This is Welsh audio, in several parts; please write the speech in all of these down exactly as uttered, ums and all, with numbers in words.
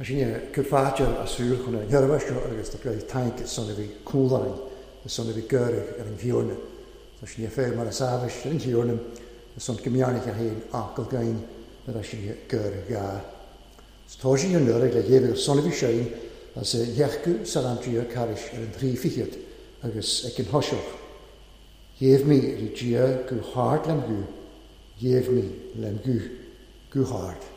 Sin cur fáilte a súil chun an sheirbhís seo agus tá go taink son a bhí cúláin son a bhí gcuireadh ar an bhfiorna. Tá sin féir mar a sábhais ar an bhfiorna son go mbearnaigh a haon acaill gain ar a sin gcuireadh gá. Tá sin an nuair le dhéabh son a bhí séin as a dheachú salamtría caris ar an trí fichiad agus ag an thoiseach. Dhéabh mí rí Dia go hard lem gu, dhéabh mí lem gu, go hard.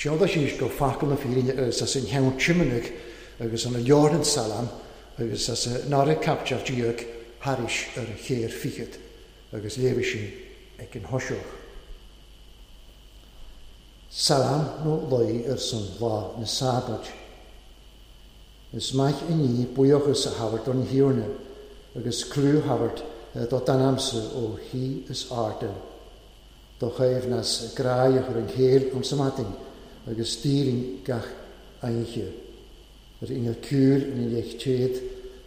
Teoda síos go facal na fírinne agus as an cheann tiomanaigh agus an leabhar salam agus as nára capteach díog tharis ar a chéir fichead agus léirigh sin ag an thoiseach. Salam nó luí ar son lá na sábad. Is maith inní buíochas a thabhairt don thiarna agus clú thabhairt do d'ainmse ó thí is airde. Do chaomhnas gráidheach ar an chéill an samatin agus stíling gach ainche. Ar inge cúil in leich téad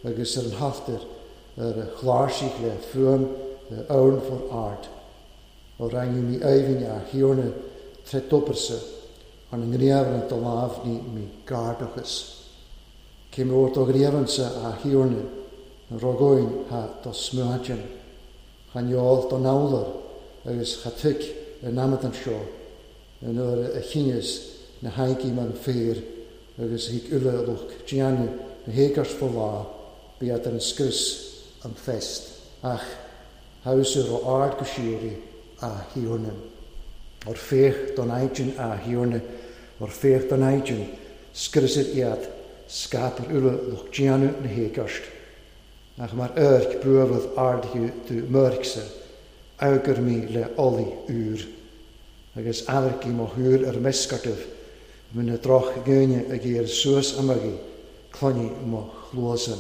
agus ar an haftar ar chláirsigh le fuaim ann for ard. Ó rangi mi aibhinn a thiarna tre toperse an an ngréabhar do lámh ní mi gardachas. Cé mór do ghríomhansa a Thiarna, na rogóin ha do smuaidin. Chan eol don ábhar agus cha tuig ar namhaid anseo, an uair a chinneas na haigí mar an féar agus thig uile lucht déanamh na héagairt fo lá, bíodh ar an scrios an phest, ach thabhsa ro ard go síoraí a Thiarna. Or féach don aigin a Thiarna, or féach don aigin, scriosad iad, scaipir uile lucht déanamh na héagairt. Ach mar oirc buabhadh ardaithe do mhuircse, fhógair mé le olaí úr. Agus amharcaí mo shúil ar meascartaibh, muna drochdhaoine ag éirí suas amaigí, cluiní mo chluasa.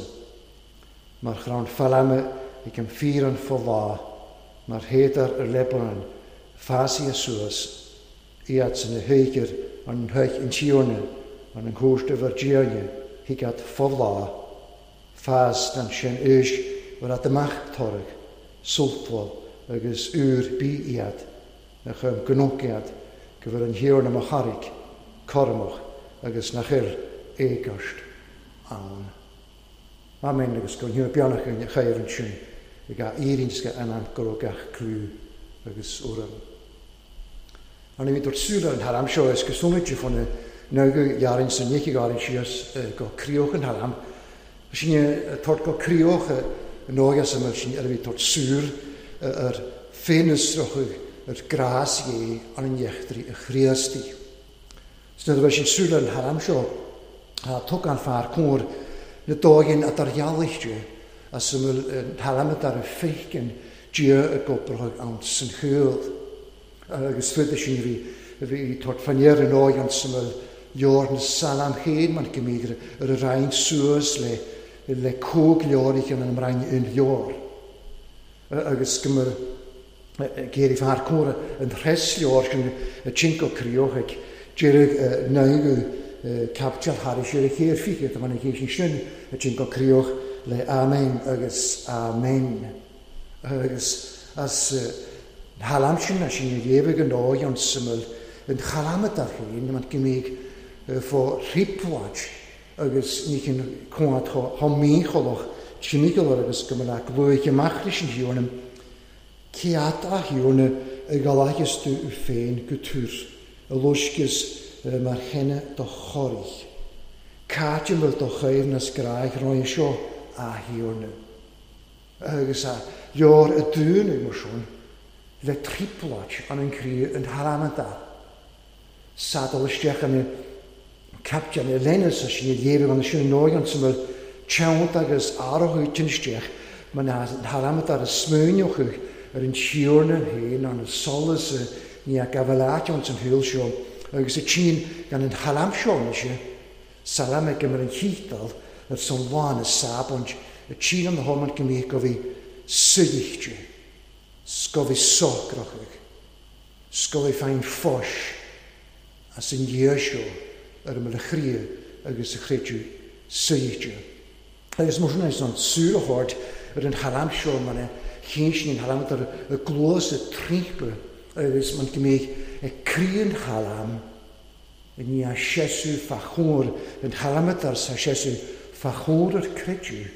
Mar chrann feilme ag an fíorann fo lá, mar shéadar ar Lebanon, fásaithe suas, iad san a thuigir an thuig an Tiarna, an an cúirt a bhur dTiarna, thuig fo lá, fás dan sin éis bhur at amach toradh, sultmhal agus úr bí iad, nach um gnóc iad, go bhfuil an Thiarna mo charraig, cúramach agus nach fhuil éagairt ann. Amen agus go nhiúr beannach an chaomh ansin ag a éiríonn go anam go raibh gach clú agus urraim. An bhí dúirt súil ar an thalam seo is cosúil de fan nó ghearrann san ní ghearrann síos go críoch an thalam. Sin tort go críoch an óige sem sin ar bhí tort súil ar féinusrochadh ar grás dhé an an dheachtraí a Chríostaí. Sna bheith sin súil ar an thalam seo tug an fear cóir na dóigin a dar ghealaíte as an bhfuil an thalam dar a féiceann Dia a gobrach ann san chúil. Agus fuide sin bhí bhí tort fanéar an óig an san bhfuil leor na salam chéad man go ar a roinn suas le le cóg leoraich an an mbrain un leor. Agus go mur géirí fear córa an thres leor sin a cinco críoch ag deireadh naoú capteal thar sé a chéir fiche tá man a chéis sin a cinco críoch le amen agus amen. Agus as halam sin a sin a léamh an óig an suimil an chalamad ar féin man go mbeidh fó ripláid agus ní chin cuat chomh mícholach timpeall agus go mbeadh luaithe amach leis an Thiarna. Cead a Thiarna a ghalaigeas tú féin go túr, a loisceas mar chenne do chorraigh. Cáit bhfuil do chaomhnas gráig roimhe seo a Thiarna. Agus a leor a dúnadh mar sin le tripláid an an chroí an thalamanta. Sadal isteach an captain a lenas a sin a léamh an sin an óig an bhfuil teannt agus áirithe tin isteach man an thalamanta a smuineochadh ar an Tiarna féin an solas ní a gabhaláit an san shúil seo agus a tsin gan an thalam seo anois salam ag mar an chítal ar san lán a sábant a tsin an homan go mbíodh go bhí suidichte, go bhí socrachadh, go bhí féin fós as an Dhia seo ar an mbealach chroí agus a chreideamh suidichte. Agus mar sin an súil a thabhairt ar an thalam seo mar a chinn sin an thalam ar a gluas a trímpa agus man go mbeidh ag croí an thalam i ndiaidh seasamh fá chóir an thalam sa seasamh fá chóir ar creideamh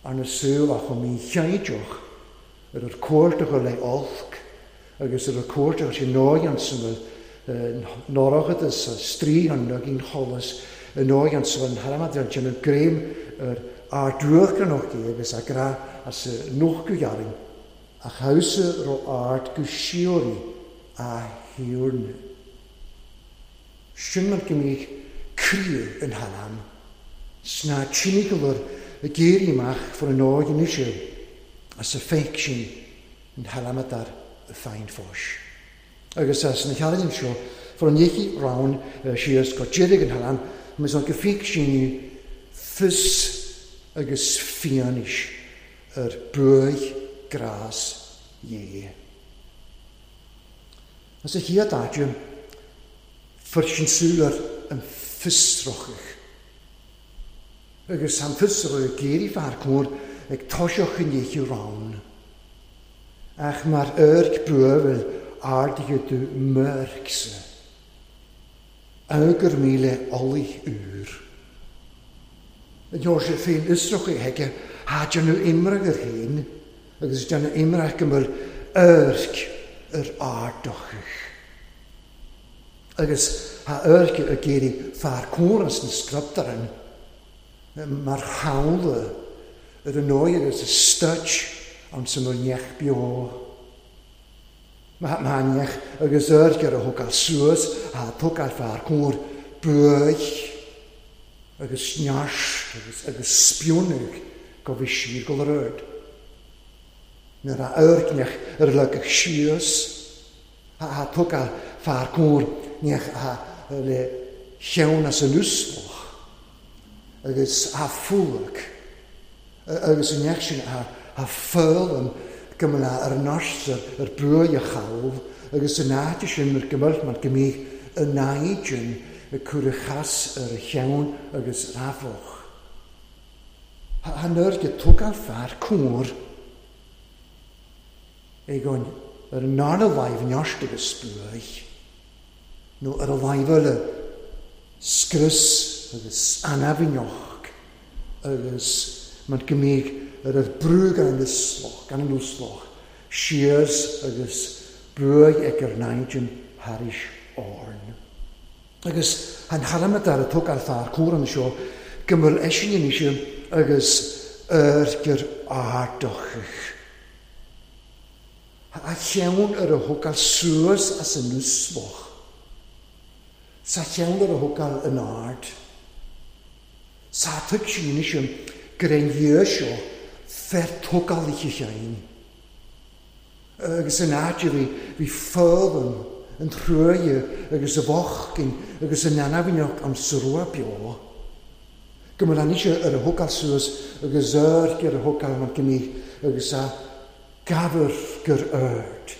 arna súil a chomh mícheaideach ar ar cuairt a chur le olc agus ar ar cuairt a chur sé nóig an suimil norachad a strí an nugin cholas an nóig an suimil an thalam ar an gréim ar ardruachranach agus a gra as noch go ghearrainn a chausa ro ard go síoraí a Thiarna. Sin mar go mbíodh croí an thalam sna timpeall a géirí amach for an óig anois as a féic sin an thalam dar a féin fós. Agus as na cheardain seo for an dhéicí rann síos go deireadh an thalam mas an go féic sin fios agus fianaise ar buaidh grás Dhé. As a chéad áite, fuair sin súil ar an fiosrachadh. Agus an fiosrachadh géirí fear cóir ag toiseach an dhéicí rann. Ach mar oirc buabhaill ardaithe do mhuircse. Fhógair mé le olaí úr. Yn yw'r sy'n ffein ysrwch i hege, ha dyn nhw imrag yr hyn, agus dyn nhw imrag gymryd yrg yr ardochych. Agus ha yrg y geiri ffa'r cwras yn sgryptaren, mae'r hawl yr ynoi agus y stytch ond sy'n mwyn iech bio. Mae ma iech agus yrg ar y hwgal sŵs a twgal ffa'r cwr bwych agus niasht agus, agus spiwnig gofi sir gol yr yrd. Nyr a yrg yr lygach sios a, a twgal ffa'r cwr niech a le llewn as yn usloch agus a ffwg agus yn iech sy'n a, a ffyl yn gymryd ar nos yr bwy a chawl agus yn ati sy'n yr gymryd mae'n gymryd y naid yn y cwrychas yr llewn agus yr afoch. Hanner gy twgal ffa'r cwr egon yr nar y laif yn iosd agus sbwy nó ar y laif y sgrys agus anafinoch agus mae'n gymryd yr yr brwy gan yn ysloch, gan yn wsloch, siars agus brwy ag yr naid yn haris orn. Agus han halamad ar y twg ar ffa'r cwr yn y sio, gymryd eisiau yn eisiau agus yr gyr ardochych. A llewn yr y hwgal sŵs as yn wsloch. Sa llewn yr y hwgal yn ard. Sa tyg sy'n eisiau grein sio fer twgal i chi llein. Agus yn ard fi, fi ffydd yn, yn trwy agus y fochgyn agus yn anafinoch am srwa bio. Gymryd an eisiau yr hwgal sŵs agus yr gyr y hwgal mae'n gymryd agus a gafr gyr yrd.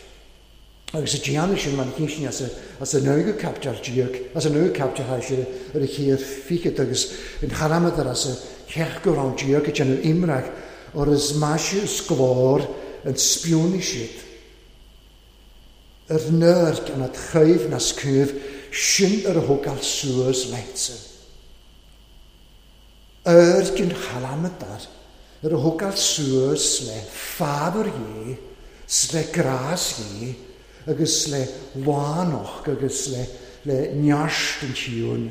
Agus y dian eisiau mae'n cynsin as y, as y nawg captar diag, as y nawg captar ha eisiau yr hir ffigyd agus yn haramad ar as y chechgwr o'n diag y dyn imrag o'r ysmasio ysglor yn sbiwn eisiau. Yr nyrg yn ad chyf nas cyf sy'n yr hwgal sŵs leitse. Yr gyn halamadar, yr hwgal sŵs le ffafr i, sle gras i, agus le lanoch, agus le, le niasht yn tiwn.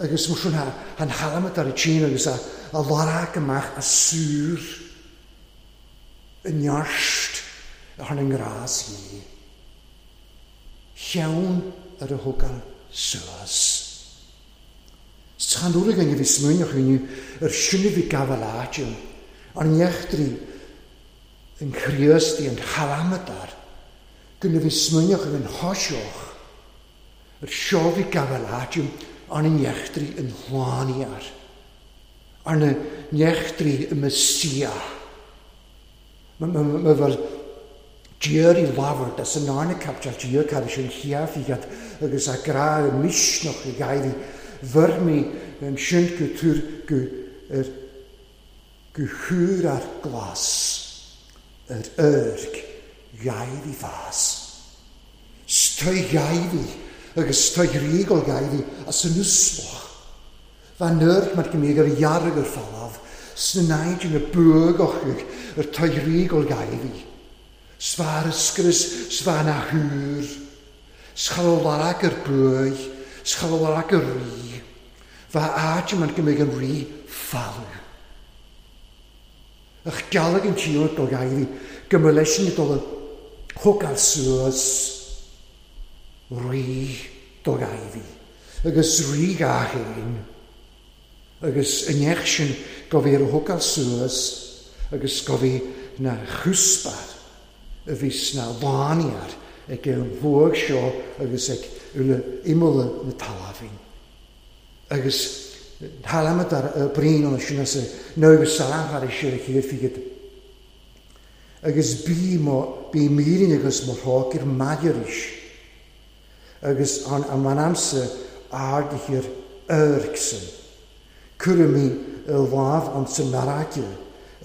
Agus mwyswn ha, han halamadar y tîn, agus a, a larag ymach a sŵr y niasht ar yn gras i. Llewn yr hwgal sŵs. Chan dŵr gan i fi smwynioch i yr syni fi gafel atio, ond iechtri yn chriosdi yn halamadar, gyn i fi smwynioch yn hosioch, yr sio fi gafel atio, ond yn iechtri yn hlaniar, ond yn iechtri y Mesia. Mae fel Diar i lafod as yn arna captar diar cael eisiau lliaf i gad agus a gra y misnoch i gael i fyrmi yn synt go tŵr go yr go hwyr ar glas yr yrg gael i fas. Stoi gael i agus stoi rigol gael i as yn ysloch. Fan yrg mae'r gymryd yr iarg yr ffalaf sy'n yn y bwgoch yr toi rigol gael i. Sfa'r ysgrys, sfa na hwyr, schalolarag yr bwy, schalolarag yr ri. Fa ag yma'n gymryd yn ri ffalw. Ych galag yn tîl dol gael fi, gymryd i dol y hwgal sŵs, ri dol gael fi. Agus ri gach ein, agus yn eich sy'n gofi'r hwgal sŵs, agus gofi na chwsbar, y fys na laniar ag yn fwg sio agus ag yw'n ymwyl na talafin. Agus halamad ar y brin o'n sy'n as y nawg y salam ar eisiau y hir ffigyd. Agus bi mo, bi mirin agus mo rhog i'r magyar is. Agus an am amser ard i hir yrgsyn. Cwrw mi y laf ond sy'n naragio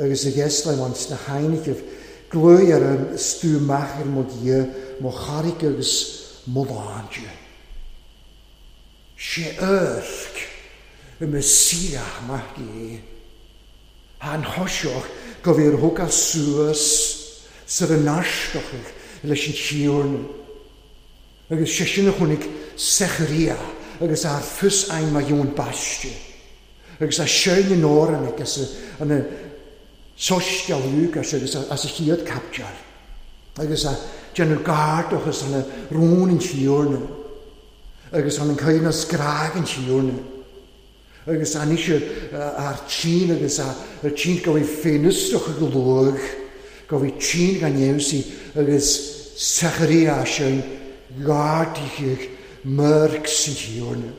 agus y geslau ond sy'n hainigif glwy ar yn stŵ mach i'r mogia, mo charig agus mo láinte. Sé yrg Y Messia maith Dé. An thoiseach go bhí ar thógáil suas sar a n-aisteochaidh leis an Tiarna. Agus sé sin a chonaic Secharia agus ar fios ain mar Eoin Baiste. Agus a seinn in Árann agus an Soiscéal Lúcáis agus as a chéad caipiteal. Agus a déanamh gairdachas an rún an Tiarna. Agus an cuimhne scrág an Tiarna. Agus anois ar tsin agus ar tsin go bhí féinfhiosrach go luath, go bhí tsin gan fheabhsaí agus Secharia sin gairdítheach murc san Tiarna.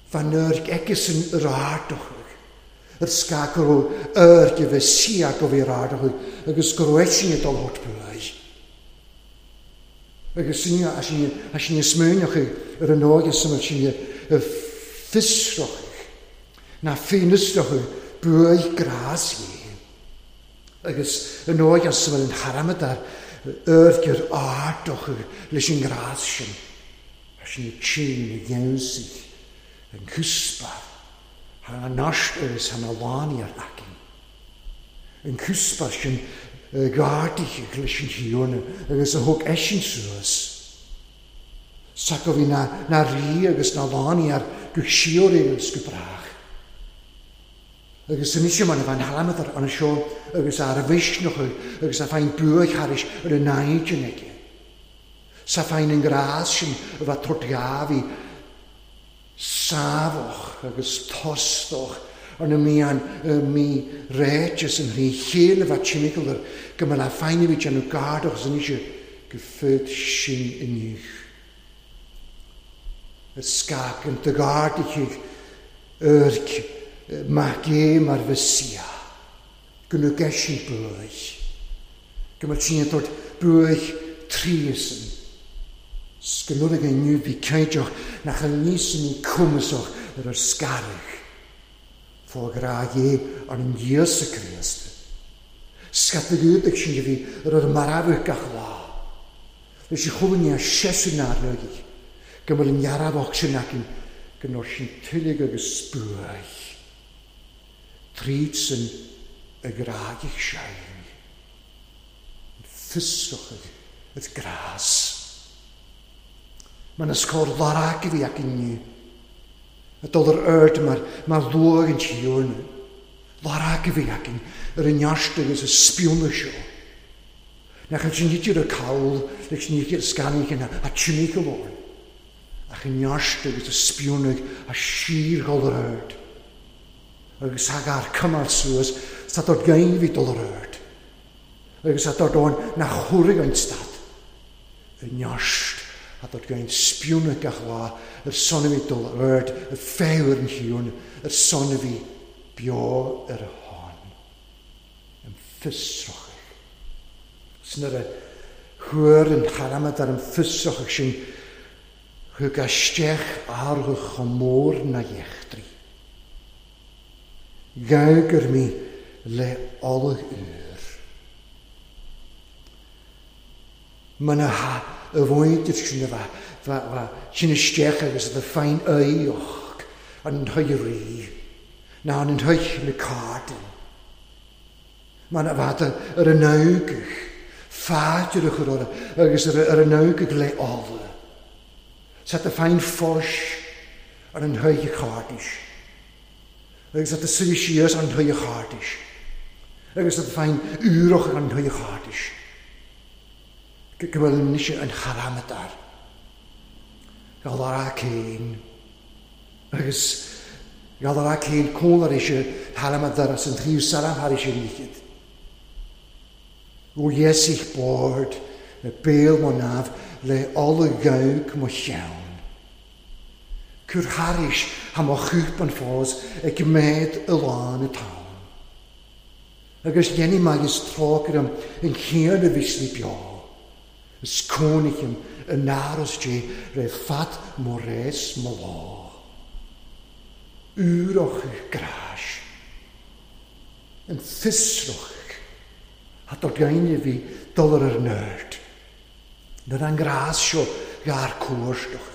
Van nurg eicesan yr ardochach, yr sgag go raibh aird a bheith sia go bhí yr ardochach, agus go raibh eisean ag dul thart buaidh. Agus sin a sin smaoineochaidh ar an óige san sin fiosrochaidh, na féinfhiosrochaidh buaidh grás Dhé. Agus an óige san an thairmead ar aird ar ardochadh leis an ngrás sin, a sin tsin a gheansaigh an cuspa thar an nost agus thar na lánaí againn. An cuspa sin gardaithe leis an Thiarna agus a thug eisean suas. Sa go bhí na, na rí agus na lánaí ar go síoraí agus go brách. Agus anois mar a bhean thalamad an seo agus ar a mhisneach agus a féin buaidh thairis ar an naidin aige. Sa féin an grás sin a bheith tabhairt ghabhaí sábhach agus tostach ar na mían mí réiteas an thrí chéile bheith timpeall ar go mbeadh le féin a bhí déanamh gardach agus anois go fud sin inniu. Ar scag an tgardaithe urg mac é mar Mhesia, go nó geisin buaidh, go mbeadh sin ag tabhairt buaidh tríosan. 's go nuair inniu bhí caideach nach an níos ní cumasach ar ar scarach. Fá ghrá Dhé ar an Íosa Críost. Scata gúdach sin a bhí ar ar marbhadh gach lá. Leis an cholainn a seasamh nár leogaidh, go mbeadh an dhearmhach sin againn go ndóir sin tuilleadh agus buaidh. Tríd san a ghrágaidh sein. An fiosrochaidh at grás. Man is cóir larag a bhí againn inniu. A dul ar aird mar, mar luath an Tiarna. Larag a bhí againn ar an neart agus a spiúna seo. Nach an sin idir a cawl leis ní scannaigh a timpeall orm. Ach an neart agus a spiúnaigh a sír dhul ar aird. Agus thag ar cymal suas, sa dod gain bhí dul ar aird. Agus a dod o'n na chwrig o'n stad. Y neart a dod gain spiúnaigh gach lá ar son a bhí dul ar aird, y ffewr yn hiwn, ar son a bhí beo ar y hon. Yn ffysrochach. Sy'n ar y hwyr yn haramad ar yn ffysrochach sy'n chwg a stech argwch o môr na iechdri. Gawg mi le olyg ŵr. Mae'n a ha y fwyd sy'n fa, fa, fa, sy'n ystech agus y ffain eioch yn hwyri, na yn hwy le cardyn. Mae'n a fad yr ynawgych, ffad yr ochr o'r agus yr ynawgych le ola. Sa y ffain ffos ar yn hwy chardis. Agus at y sy'n ar yn hwy chardis. Agus at y ffain ŵroch ar yn hwy chardis. Go bhfuil níos an charamadar. Gall ar a cén. Agus gall ar a cén cónar eisiau haramadar as an tríw saram har eisiau níchyd. Ó Iesich bord y bél mo naf le ola gawg mo chiawn. Cwr haris ha mo chwp an ffos y gymed y lân y tawn. Agus jenny magis tróg am yn chian y fysli bio. Ys cónich yn aros di re fat mo res mo lá. Úroch gras. Yn ffysroch. A dod gain i fi dol ar yr nerd. Nyr an gras sio ga'r cwrs doch.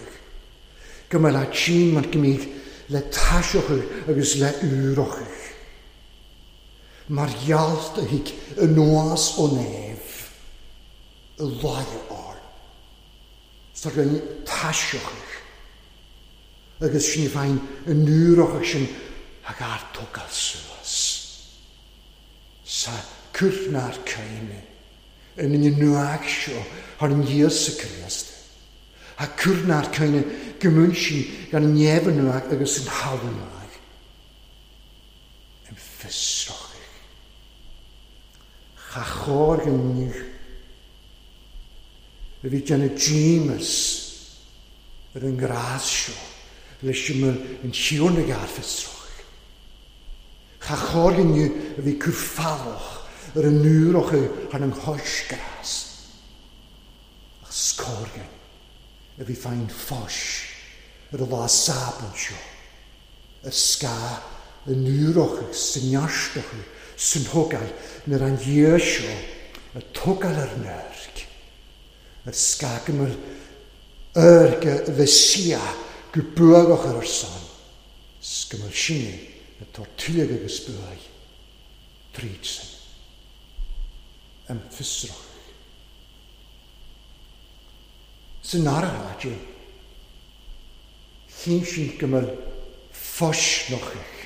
Gymael a tîn ma'n gymig le taiseochaidh agus le úrochaidh. Mar ghealt a thig anuas ó naomh i láimhe ard. Tá againn taiseochaidh agus sin féin an úrochaidh sin ag ár tógáil suas. Sa cúrnár céime in an nuacht seo thar an Íosa Críost. A cúrnár céime go mún sin gan an neamh nuacht agus an thalamh nuacht. An fiosrachaidh. Cha chóir go inniu a bhí déanamh díomas ar an ngrás seo leis an Tiarna gar fiosrachaidh. Cha chóir go inniu a bhí cur falach ar an úrochaidh thar an choisgrás. Ach scór a bhí féin fós ar a lá sában seo, ar scáth an úrochaidh san neartachaidh san thógáil nuair an Dhia seo a tógáil ar an airg, ar scáth go mbeadh airg a Mhesia go buagach ar ar son, 's go mbeadh sinne atá tuilleadh agus buaidh tríd sin. Am fiosrachaidh. San áirithe, chinn sin go mbeadh fosnochaidh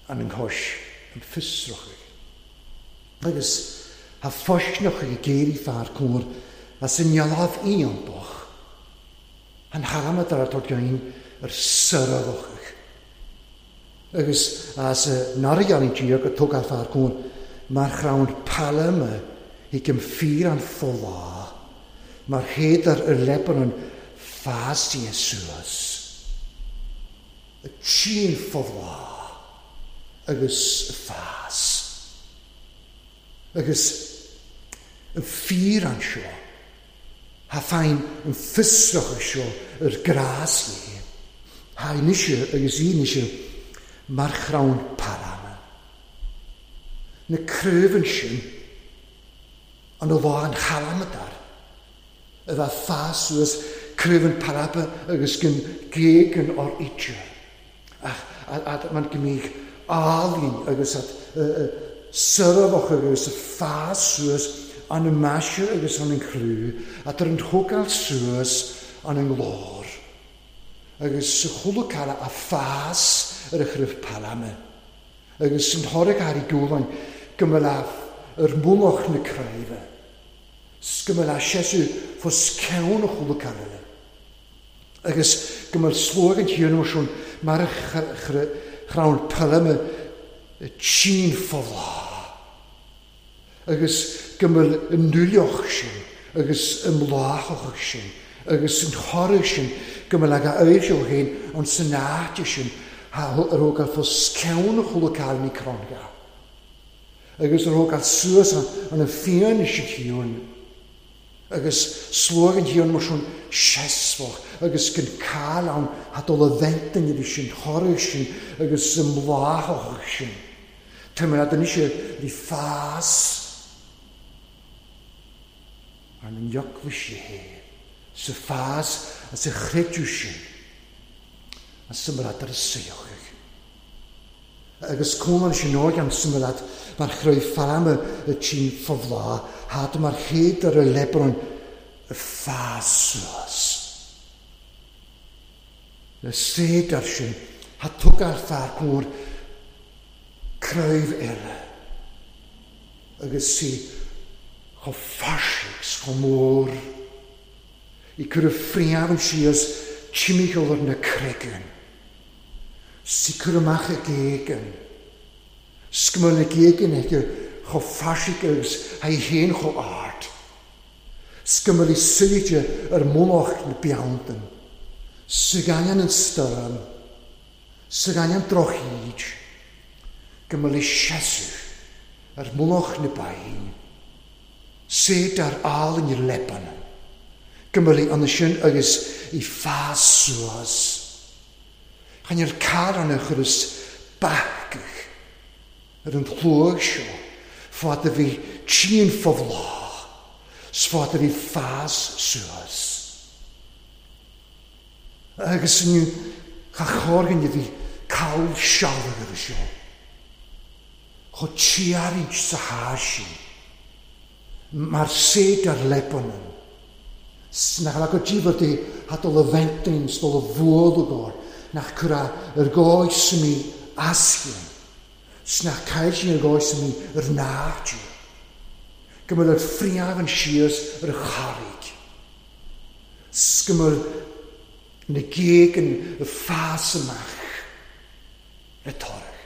an an chois an fiosrachaidh. Agus ha fosnochaidh ag éirí fear cóir as an ngealach iontach an thalamh atá gain ar sarachaidh. Agus as naragean tír go tógáil fear cóir mar chrann pailme ag an fíor an fholá, mar chéadar ar Lebanon fásaithe suas. A tsin fholá agus fás. Agus an fíor an seo, ha féin an fiosracha seo ar grás é. Ha inise agus inise mar chrann pailme. Na craobhann sin an lá an chalamadar a bheith fás suas craobhann pailme agus gin géagan ar ite. Ach at man gymig álainn agus at syrfach agus a fás suas an y maise agus an an chlú, at ar an thógáil suas an an glór. Agus sa chulacara a fás ar a chraobh pailme. Agus san thoradh ar i gcúlainn go mbeadh ar mullach na craoibhe. 's go mbeadh seasamh fós ceann a chulacara. Agus go mbeadh slóg an tír sin mar a chrann pailme tsin fholá. Agus go mbeadh an nuilleach sin agus an mbláthach sin agus an thoradh sin go mbeadh a éirseó féin an san áite sin ar thógáil fós ceann a chulacara ní crann. Agus ar thógáil suas an fianaise tíorn. Agus slóg an tíorn mar sin seasmhach agus gan cáil ann ha dul a bheintain ar sin thoradh sin agus an mbláthach sin. Tá mar ad anois bhí fás ar an eaglais é sa fás as a chreidiú sin as sa mar ad ar a saochaidh. Agus cónaí sin organ sa mar ad mar chraobh phailme a tsin fobhlá had mar chéad ar a Lebanon a fás suas. Le céadar sin ha tugáil fear cóir craobh eile agus sí chomh fairsing chomh mór i cur a phríomhann síos timpeall ar na creagan. Sí cur amach a géagan. 's go mbeadh na géagan aige chomh fairsing agus ha í féin chomh ard. 's go mbeadh í suite ar mullach na beanntan. Sa gcainneann an stoirm, sa gcainneann drochíd, go mbeadh í seasamh ar mullach na bain. Céadar álainn ar Lebanon. Go mbeadh í ann sin agus í fás suas. Chan ar caran a chuireas bacaigh ar an chlóg seo, fad a bhí tsin fobhlá, 's fad a bhí fás suas. Agus inniu Cha chorgan a bhí cal sealbh ar seo. Cho tiarint sa há sin. Mar séid ar Lebanon. Nach le go díobh dé hat dul a bhentain dul a bhualagóir nach cura ar gáis mí ascéin. Snach cael sin ar gáis mí ar náitiú. Go mbeadh ar friamh an síos ar charraig. Go mbeadh na géagan y ffas amach le toradh.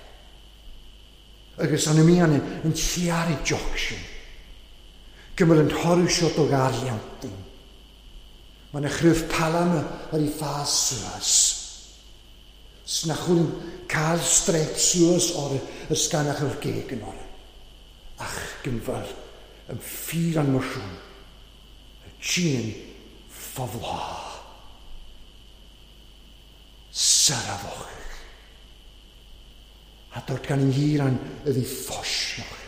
Agus an ymí an yn tiaru joc sin. Go mbeadh an toradh seo do garliantin. Mae'n chryf palam ar ei ffas suas. Snach chwlyn cael strep suas o'r ysganach o'r geg yn o'r. Ach, gymfal, yn ffyr an mwsiwn. Y tîn ffofla. Sarafoch. A dod gan yn hir an y fi ffosioch.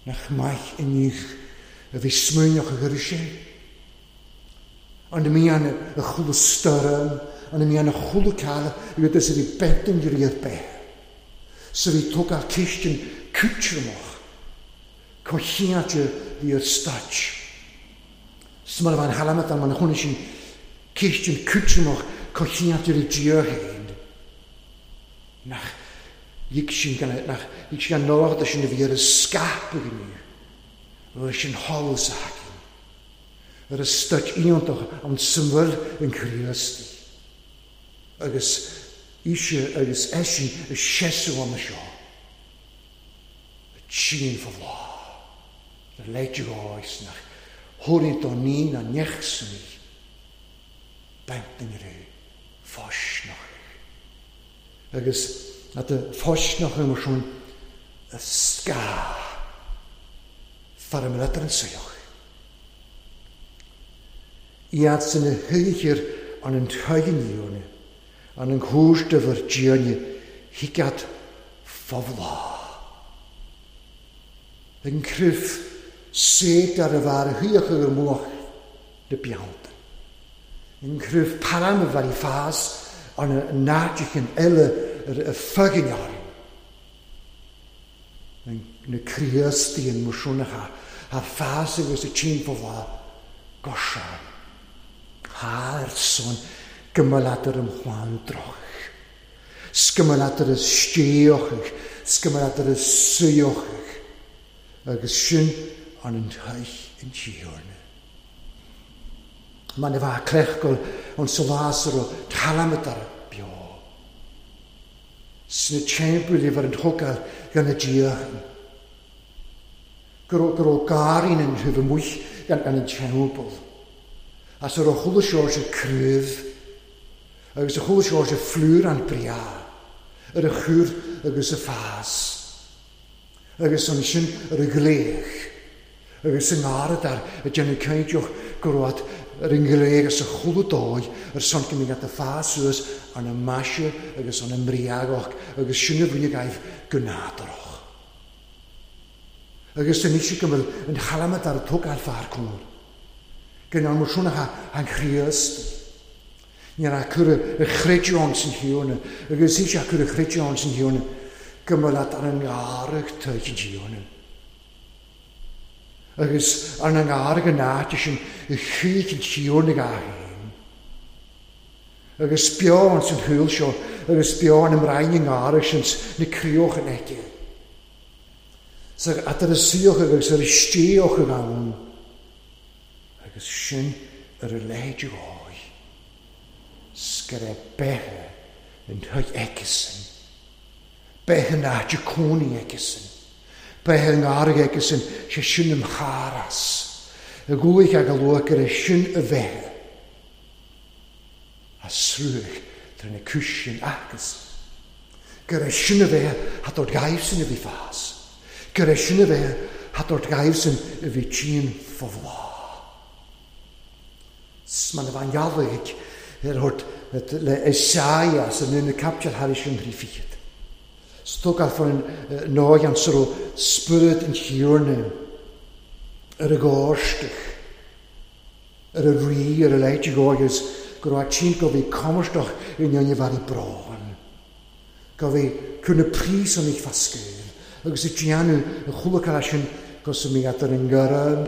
Nach maich yn eich y fi smwynioch y gyrysau. Ond mi an y chwlw styrm, ond mi an y chwlw cael, yw ydys ydi bent yn gyri'r be. So fi tog ar cistyn cwtrymwch, cochiad fi yr stach. So mae'n fan halamat mae'n hwn eisiau cistyn cwtrymwch, cochiad i'r dior hyn. Nach, yig sy'n gan, nach, yig sy'n gan nord ysyn fi ar y sgap ag ni. Yr sy'n hol sag. Yr ystod iontoch am symwyr yn Christi. Agus eisiau agus eisiau y siesw am y sio. Y tîn ffofla. Y leidio oes nach hwryd o ni na nechs ni. Bent yn rhyw ffosnoch. Agus at y ffosnoch yma swn y sga. Far ymwneud yn seioch. Iad sy'n y hychir an yn tygyn iwne, an yn hwrs dyfyr dione, higad ffofla. Yn cryf sed ar y far hyach ag yr mwch dy biawd. Yn cryf param y far i ffas an y nadych yn ele yr y ffygyn iawn. Yn y criasti yn mwsiwnach a, a ffas ag y tîn ffofla gosian. Ha'r son gymalad yr ymchwan droch. Sgymalad yr ystioch, sgymalad yr ysyoch. Agus sy'n an yn teich yn tiwrn. Mae'n efa clechgol ond solasar o talamad ar y bio. Sy'n y tembl i fod yn hogal gan y diach. Gyro, gyro garin yn rhyf y mwych gan, gan y tembl. A sy'r o chwlw siors y cryf, agus y chwlw siors y fflwr an bria, yr y chwr agus y ffas, agus o'n sy'n yr y glech, agus yng ngarad ar y dyn y ceidiwch gwrwad yr yngleg as y chwlw doi, yr son gymryd at y ffas ys an y masio agus an y mriagoch, agus sy'n y fwy'n gaif gynadoch. Agus yn eisiau gymryd yn halamad ar y tog ar ffar cwr. Gyda nhw swn a'n chriast. Ni'n acwr y chredion sy'n hiwn, agus eisiau acwr y chredion sy'n hiwn, gymryd ar yng ngarag tyd yn hiwn. Agus ar yng ngarag yn nat sy'n y chyd yn hiwn ag ahyn. Agus sbio sy'n hwyl sio, agus sbio yn ymraen yng ngarag sy'n ny crioch yn ege. So at yr ysioch agus yr ystioch ag awn. Agus sy'n yr yleidio o'i. Sgyre behe yn hwy egesyn. Behe na jaconi egesyn. Behe ngarag egesyn se sy'n ymcharas. Y gwych ag alwag yr sy'n y fehe. A srwych dryn y cwsiyn agos. Gyre sy'n y fehe hat o'r gaif sy'n y fi ffas. Gyre sy'n y fehe hat o'r gaif sy'n y fi tîn ffofla. Sman y fan ialwig er hort le Isaia sy'n yn y captiad har eisiau rhiffiad. Stog ar ffordd noi an sy'n spyrd yn hiwrne yr y gorstych, yr y ri, yr y leidig oes, go raibh tinn go bhí cumarstach i ndeine bhar brán. Go bhí cur na príosúnaigh fá scaoil, agus ag déanamh an chulaith sin go sa mí ar an gcoram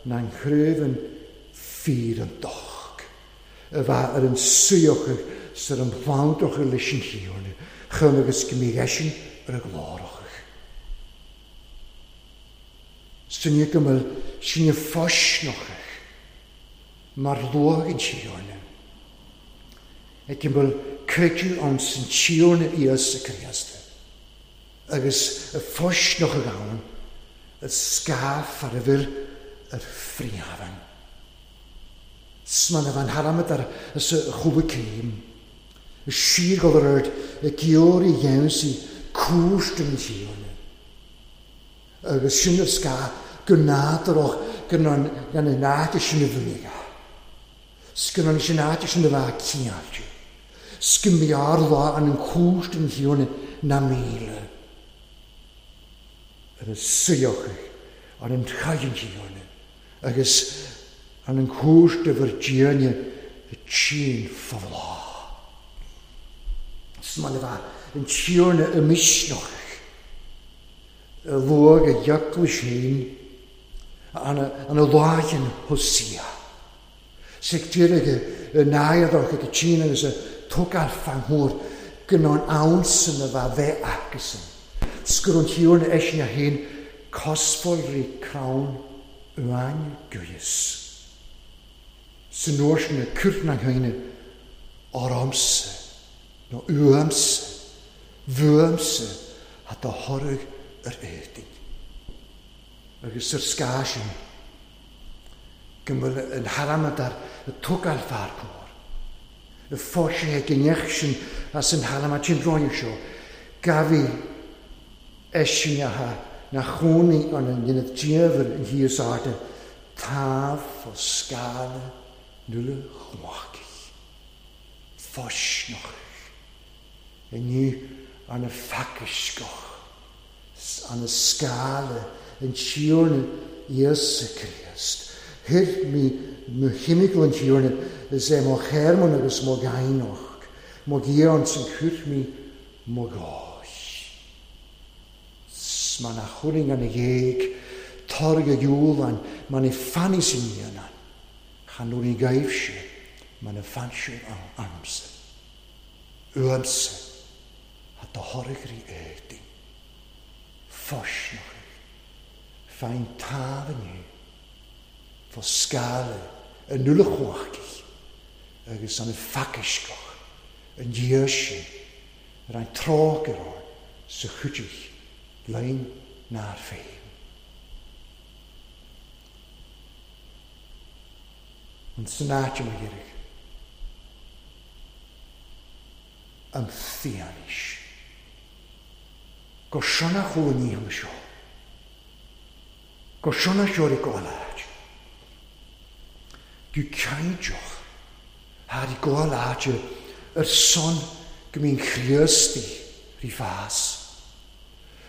na an chraobh fíor an doch, a bheith ar an suíochadh sar an bhlandochadh leis an Thiarna, chun agus go mí eisin ar a ghlórachadh. Sinne go bhfuil sinne fáisneachadh mar luach an Tiarna. Ag go bhfuil creideamh ann san Tiarna Íosa Críost, agus a fáisneachadh ann a scáth ar a bhfuil ar phríomhain. Sman a bhean thalamad ar sa chúla céim, a síorghal ar ard a geoirí dhéansaí cúirt an Tiarna. Agus sin ar scáth go nádúrach gan an áit sin a bhunaigh. Scan sin áit sin a bheith ciáilte. Scan bhearr lá an an cúirt an Tiarna na míle. Ar an suíochadh ar an chaidh an Tiarna agus an an cúirt a bhur déine a tsin fábhlá. Sman a bheith an Tiarna a misneachadh a luach a dheacla sin an a lághan Hosea. Sig deireadh a náiadach ag a tsin agus a tógáil fan thuair go ná an ansan a bheith bheith acusan. Sgur an Tiarna eisin a haon cosfáil rí crann uain guis. San uair sin a cúirt na haoine ormsa nó uaimsa, bhuaimsa a do thoradh ar éadain. Agus ar scáth sin go bhfuil an thalamad ar a tógáil fear cóir. Y fóise ag an sin as an thalamad sin roinnte seo, gabhaí eisin atha na chónaí an an dhéanamh diamhair an thíos airde, támh fá scála nuala chumhachtach, fáisneachach, inniu an a phacaisceach, an a scála an Tiarna Íosa Críost. Thuir mí mo chimical an Tiarna is é mo Hermann agus mo ghainach, mo ghian san chuir mí mo gáis. Man a churing an a ghéag, targ a dúlan, man i fanny sin dhéanann, chan nuair i gaibh sé, man a fan sé an amsa. Uamsa, a do thoradh rí éadain. Fáisneachadh, fein támh inniu, fá scála an nuala chumhachtach agus an phacaisceach an dhiaidh sin ar an tráth ar sa chuidigh lein nár féin. An san áit mo dheireadh, an fianaise. Go sona chuala níochán seo. Go sona seo i gcóil áit. Go cainteach thar i gcóil áite ar son go mbíonn Chríostaí rí fás.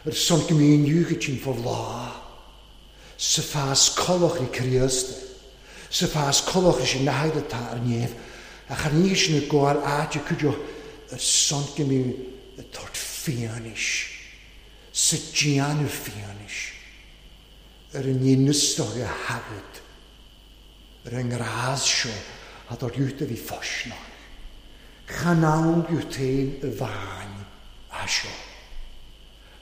Ar son go mbíonn iúchaid fá bhláth. Sa fás colach rí Chríosta. Sa fás colach rí sin nahaid atá ar néamh. Ach ar ní sin i gcóil áite cuideach ar son go mbíonn a tort fianaise. Sa déanamh fianaise ar an níonastach a thagad ar an ngrás seo a dár dúirt a bhí fáisneach. Chan ann dúirt féin a bhain a seo.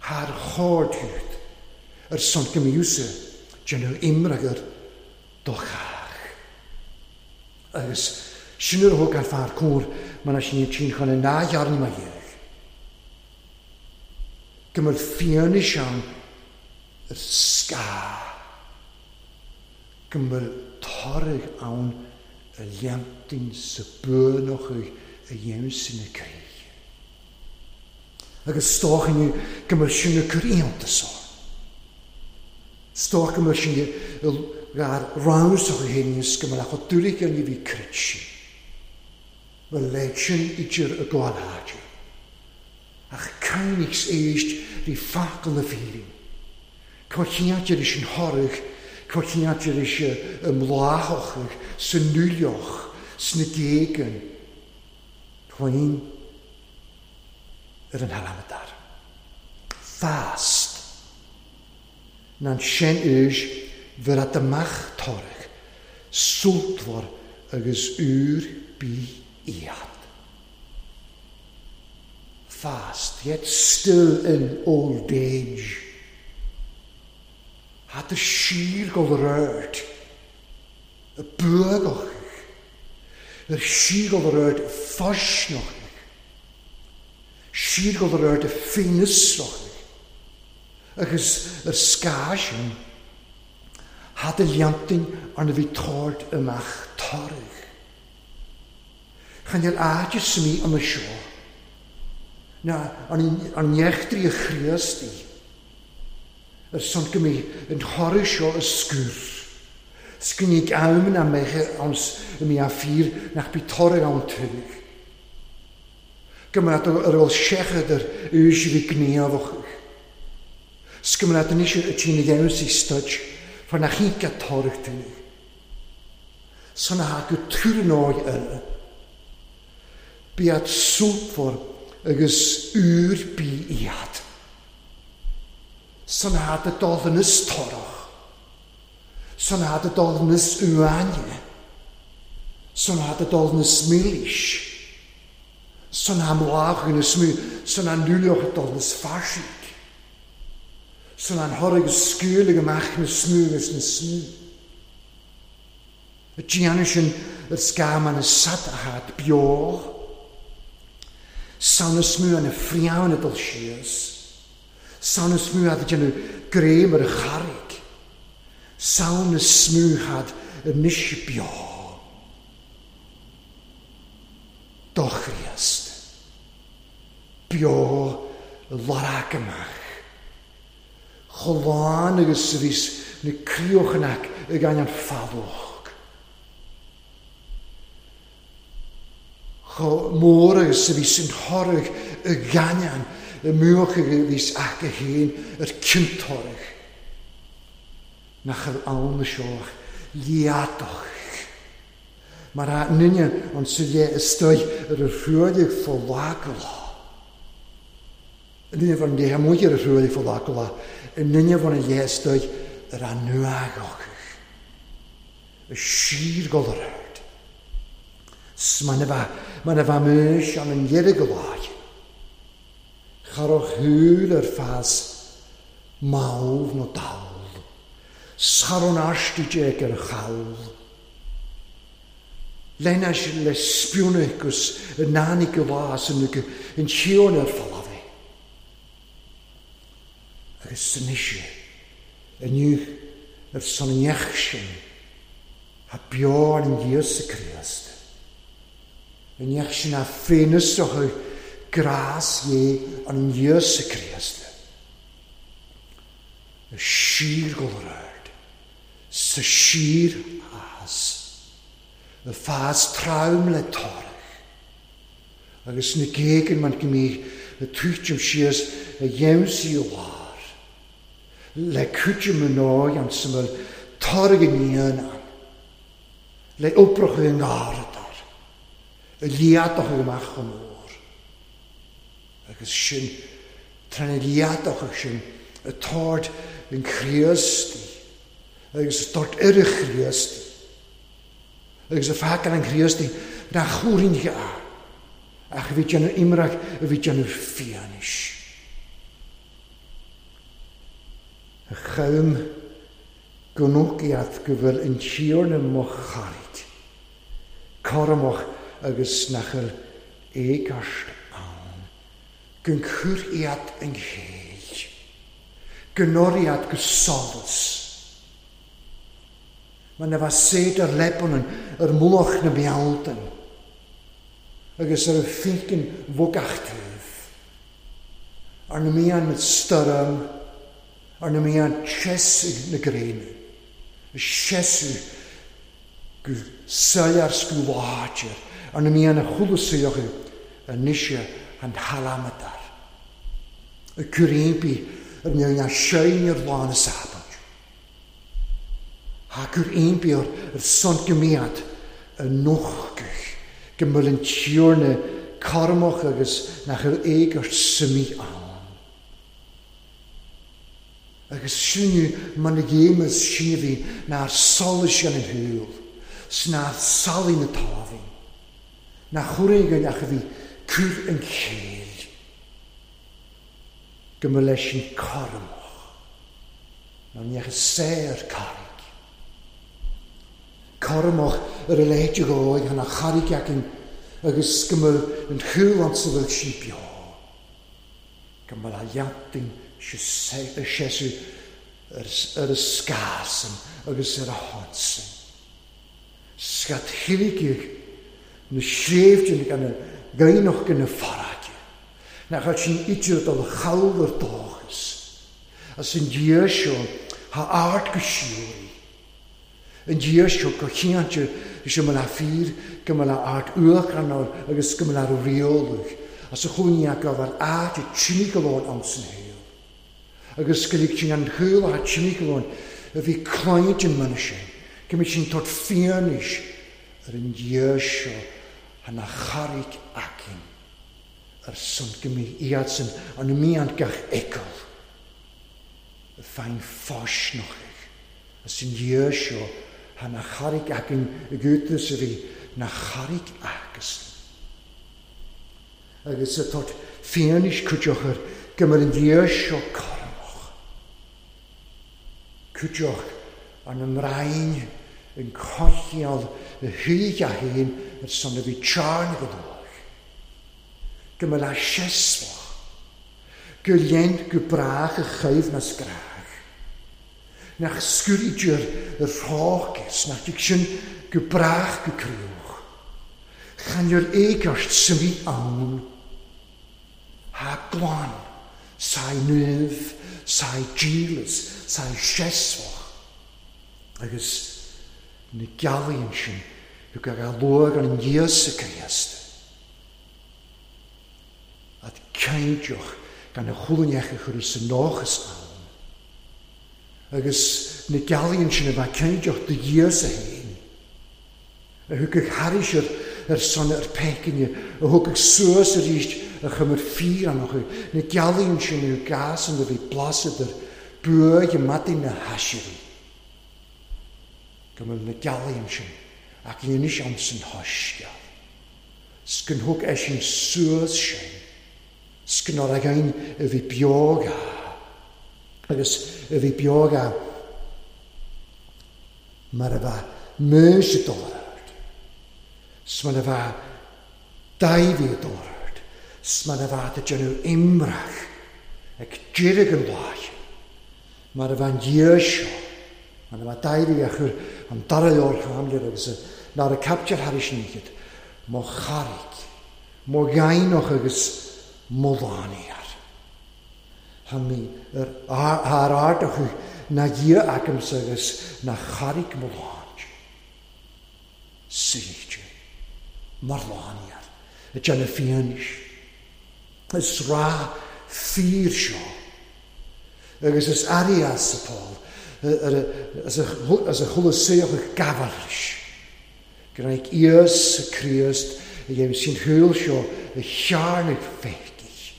Thar chóir dúirt ar son go mbíodh déanamh imreagar do chách. Agus sin ar thug an fear cóir mar a sin tsin chun an nághearn ma dhéag. Go bhfuil fianaise ann ar scáth. Go bhfuil toradh ann a leantain sa buanachadh a dhéanamh sin na críche. Agus stóchainne go bhfuil sin na cur iontas ann. Stóch go bhfuil sin gar rámsach a héiníos go bhfuil acu dúlaigh an bhí crit sin. Bhfuil leid sin idir a gcóil áite. Ach cainnigs éist rí facal na fírin. Có chineáidir is an thoradh, có chineáidir is an mbláthachadh, sa núleach, sna géagan féin ar an halamadar. Fast. Nan sin ús ver at amach toradh, sultmhar agus úr bí iad. Fast, yet still in old age. Had de siar go röd, y bwgoch, yr siar go röd ffosnoch, siar go röd ffeinysroch, agus yr sgasin, had y liantin arna bhí tord amach toradh. Chan i'r áit mi an y seo, na an nechtri y chriasti, yr son gymru yn chorau seo y sgwr. Sgwnig am na meche ons y mi a ffyr nach bi toradh ann tuig. Gymryd yr ôl siechad yr ys i fi gneoch. Sgymryd yn eisiau y ti'n ei ddewis i styd, far nach hi'n gael toradh tuig. So na go túr yn oed yna. Biad sŵpfor agus ŵr bi iad. So na dy dodd yn ystorach. So na dy dodd yn yswane. So na dy dodd yn ysmilis. So na mlach yn ysmw. So na nulioch y dodd yn ysfarsig. So na'n horrig ysgwylig ymach yn ysmw ys yn ysmw. Y gianus yn yr sgam yn y sad a had bioch. Sawn ysmw yn y ffriawn y dol sias. Sawn ysmw had y grem yr ycharig. Sawn ysmw had y nish bio. Dochriast. Bio y larag ymach. Cholán agus rhys na crioch yn ac y gan an ffalwch. Cho môr agus rhys yn horwch y ganian y mwch y rhys ac y hen yr cyntorwch. Nach yr aln y sioch liadoch. Mae'r a ninian ond sydd e ystoi yr rhwydig ffolagla. Yn union fo'n leha mwy yr rhwydig ffolagla. Yn union fo'n leha ystoi yr anwagoch. Y sir golrhaid. Mae'n fa, mae'n fa mys an yn ierigolai. Charwch hwyl yr ffas mawr no dal. Saron asti deg yr chawl. Lenas le spiwnicus y nani gylas yn y yn sion yr ffalafi. Agus yn eisiau, yn yw yr son sin, a bioan yn Iesu Christ. Yn iechsin a ffenus o'ch gras ie yn Iesu Christ. Y sir golrhaid, sy sir as, y ffas trawm le torach. Agus na gégan man gymru y twytjum sias y iews i lawr. Le cwtjum yn o'i an syml torach yn un an. Le oproch yn aradar. Y liadoch ag ymach o môr. Agus sin, tran y liadoch ag sin, y tord yn chriasti. Agus y tord yr y chriasti. Agus y ffagan yn chriasti, na chwrin chi a. Ach y fi yn imrach, y fi yn ffianis. Y chawm gwnwgiad gyfel yn siwr yn moch charid. Cormoch agus nach yr egast awn. Gynchwriad yn cheil. Gynoriad gysolus. Mae na fa sed yr lebon yn yr mwloch na miawdyn. Agus yr ffeicyn fwgachtydd. Ar na mian y styrm, ar na mian chesig na grein. Y chesig gw syar sgwlager. Ar na mian y chwlwsioch y nisio an halamadar. Y cwrymbi yr mian a siain i'r lan y sabach. Ha cwrymbi o'r son gymiad a nochtadh go mbeadh an Tiarna cothromach agus nach bhfuil éigeart suimí ann. Agus sinne mar na géimeas sin a bhí nár solais gan an shúil, 's nár salaigh na támhainn, nach chuireann ach a bhí cur an chéill, go mba leis an cothromach ná neach saor carraig. Cothromach ar a leithéid de dhóigh chun a charraig againn agus go mba an chúl ansa bhfuil sí beo, go mba le leantainn seasamh ar a scásan agus ar a shonsan. Scat thuilligh na sléibhte gan na gainneach gan na farraige, nach raibh sin idir dul chall ar dóchas, as an Dia seo thá ard go síoraí. An Dia seo go chinnte is go mba le fíor, go mba le ard uachtarán agus go mba le rialach, as a chúinne go raibh áit a timpeallóin ann san shaol. Agus go lig sin an chúl a timpeallóin a bhí cloigne an muna sin, go mbeadh sin tabhairt fianaise ar an Dia seo thá na charraig againn ar son go mbeidh iadsan an mian gach fheiceáil a fein fáisneachaigh as an Dia seo thá na charraig againn i gcútas a bhí na charraig acusan. Agus a tabhairt fianaise cuideochar go mbeadh an Dia seo cothromach. Cuideoch an mbrainn an cothcheall a thuig a haon ar son a bhí tearn go dóigh. Go mbeadh le seasmhach, go lein go brách a chaimh na scrách. Nach scurítear ar rácas, nach dtig sin go brách go críoch. Chan ar éigeart sa bhí ann. Thá glan, saí nuamh, saí dílis, saí seasmhach. Agus na gealaíonn sin go gcaithfidh a luach an Íosa Críost. Ad cinnteach gan a chúlainneach a chur sa nóchas ann. Agus na gealaíonn sin a bheith cinnteach do Íosa féin. A thugfadh thairis ar, ar son ar peicinne, a thugfadh suas arís a chumar fíorannach, na gealaíonn sin a gásan a bhí blasadar buaidh i maidin na haisirí. Go mbeadh na gealaíonn sin ach anois ann san thaisceáil. 'S go thug eisean suas sin, 's go nár againn a bhí beoga, agus a bhí beoga mar a bheith Maois dul ar ard, 's mar a bheith Dáibhí dul ar ard, 's mar a bheith ag déanamh imreach ag deireadh an lae, mar a bheith an Dia seo, mar a bheith Dáibhí a chur an dara leabhar Chaimléir agus nár a capture thairis an oíche, mo charraig, mo ghainneach agus mo lánaíar. Tá mé ar ar ardach na Dia agamsa agus na charraig mo láint. Suíte, mar lánaíar, a déanamh fianaise. Is rá fíor seo. Agus is aireas a Paul, as a chuala saoch gabhairis. Go raibh Íosa Críost a dhéanamh sin shúil seo a chearnaigh féicidh.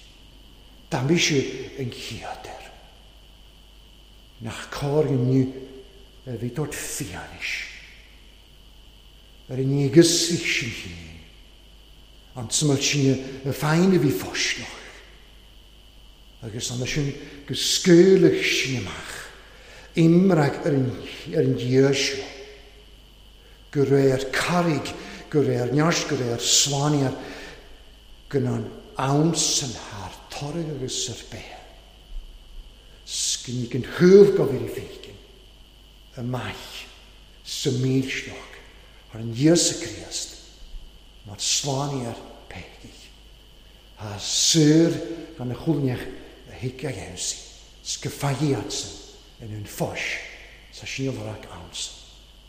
Dá mise an chéad air. Nach cóir inniu a bhí tabhairt fianaise. Ar an éagasach sin féin. An tsuimeall sin a féin a bhí fáisneach. Agus an sin go scaoilfeadh sin amach. Imreach ar an, ar an Dia seo. Go réir carraig, go réir neart, go réir slánaíar, go an am san thar toradh agus ar bith. 'S go an chúl go bhí féikin, amach sa mílsneach ar an Íosa Críost, mar slánaíar péigigh. Thá saor gan a chúlneach a thuig a dhéansaí, 's go faigheadsan in un fáis sa síolrach ansan.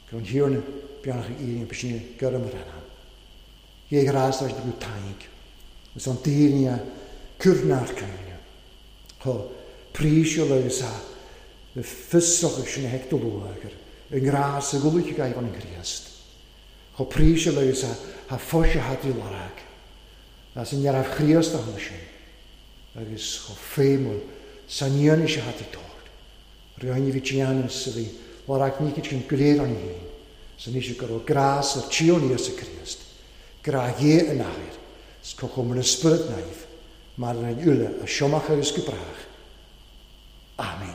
Go an thiarna beannach íonn b'sine gurm ar an. Dhé ghrás leis go taig. Is an daoine cúrnár cúine. Chá prísiúil agus a fiosrach sin a hecto luagar, i ngrás a gúlaich gaibh an Chríost. Chomh príseal agus a thoise atá tú lorg. As an neamh Chríost a tháinig sin, agus chomh feidhmiúil san fhianaise atá tú tabhairt. Rinne bhí déanamh a bhí lorg ní sin go léir an fhéin, san fhís go raibh grás ar Tíón Íosa Críost, grá Dhé an Athair, 's comhchumar na Spiorad Naomh, mar an uile, a siomach agus go brách. Amen.